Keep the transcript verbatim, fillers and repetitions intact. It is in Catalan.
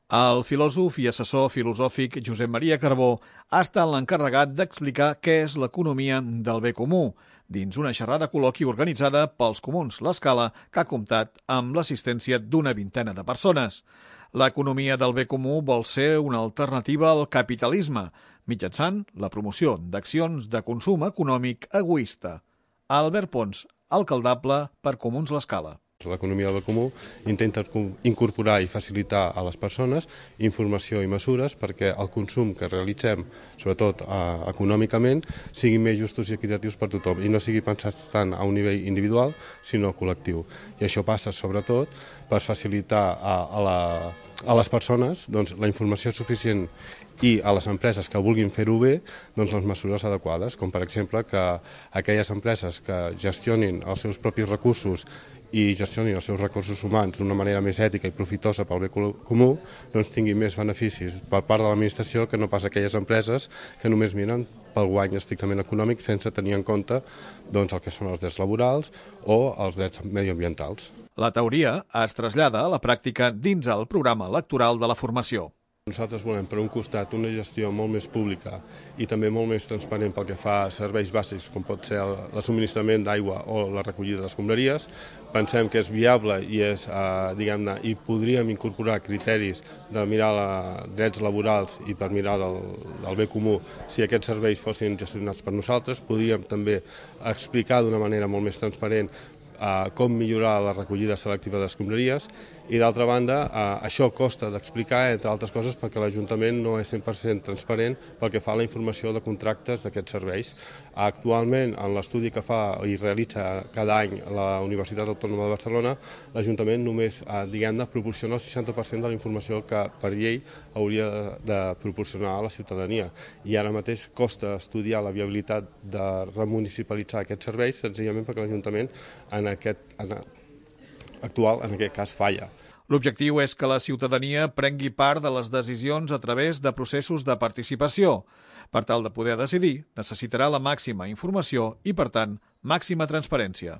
El filòsof i assessor filosòfic Josep Maria Carbó ha estat l'encarregat d'explicar què és l'economia del bé comú, dins una xerrada col·loqui organitzada pels Comuns L'Escala, que ha comptat amb l'assistència d'una vintena de persones. L'economia del bé comú vol ser una alternativa al capitalisme, mitjançant la promoció d'accions de consum econòmic egoista. Albert Pons, alcaldable per Comuns L'Escala. L'economia del bé comú intenta incorporar i facilitar a les persones informació i mesures perquè el consum que realitzem, sobretot eh, econòmicament, siguin més justos i equitatius per tothom i no sigui pensat tant a un nivell individual, sinó col·lectiu. I això passa, sobretot, per facilitar a, a, la, a les persones doncs, la informació suficient i a les empreses que vulguin fer-ho bé, doncs les mesures adequades, com per exemple que aquelles empreses que gestionin els seus propis recursos i gestionin els seus recursos humans d'una manera més ètica i profitosa pel bé comú, doncs tinguin més beneficis per part de l'administració que no pas aquelles empreses que només miren pel guany estrictament econòmic sense tenir en compte doncs, el que són els drets laborals o els drets mediambientals. La teoria es trasllada a la pràctica dins el programa electoral de la formació. Nosaltres volem, per un costat, una gestió molt més pública i també molt més transparent pel que fa a serveis bàsics, com pot ser el subministrament d'aigua o la recollida d'escombraries. Pensem que és viable i, és, eh, diguem-ne, i podríem incorporar criteris de mirar la, drets laborals i per mirar del, del bé comú si aquests serveis fossin gestionats per nosaltres. Podríem també explicar d'una manera molt més transparent Uh, com millorar la recollida selectiva d'escombraries i d'altra banda uh, això costa d'explicar entre altres coses perquè l'Ajuntament no és cent per cent transparent pel que fa a la informació de contractes d'aquests serveis. Uh, actualment en l'estudi que fa i realitza cada any la Universitat Autònoma de Barcelona, l'Ajuntament només uh, diguem-ne proporciona el seixanta per cent de la informació que per llei hauria de, de proporcionar a la ciutadania i ara mateix costa estudiar la viabilitat de remunicipalitzar aquests serveis senzillament perquè l'Ajuntament en aquest en, actual, en aquest cas, falla. L'objectiu és que la ciutadania prengui part de les decisions a través de processos de participació. Per tal de poder decidir, necessitarà la màxima informació i, per tant, màxima transparència.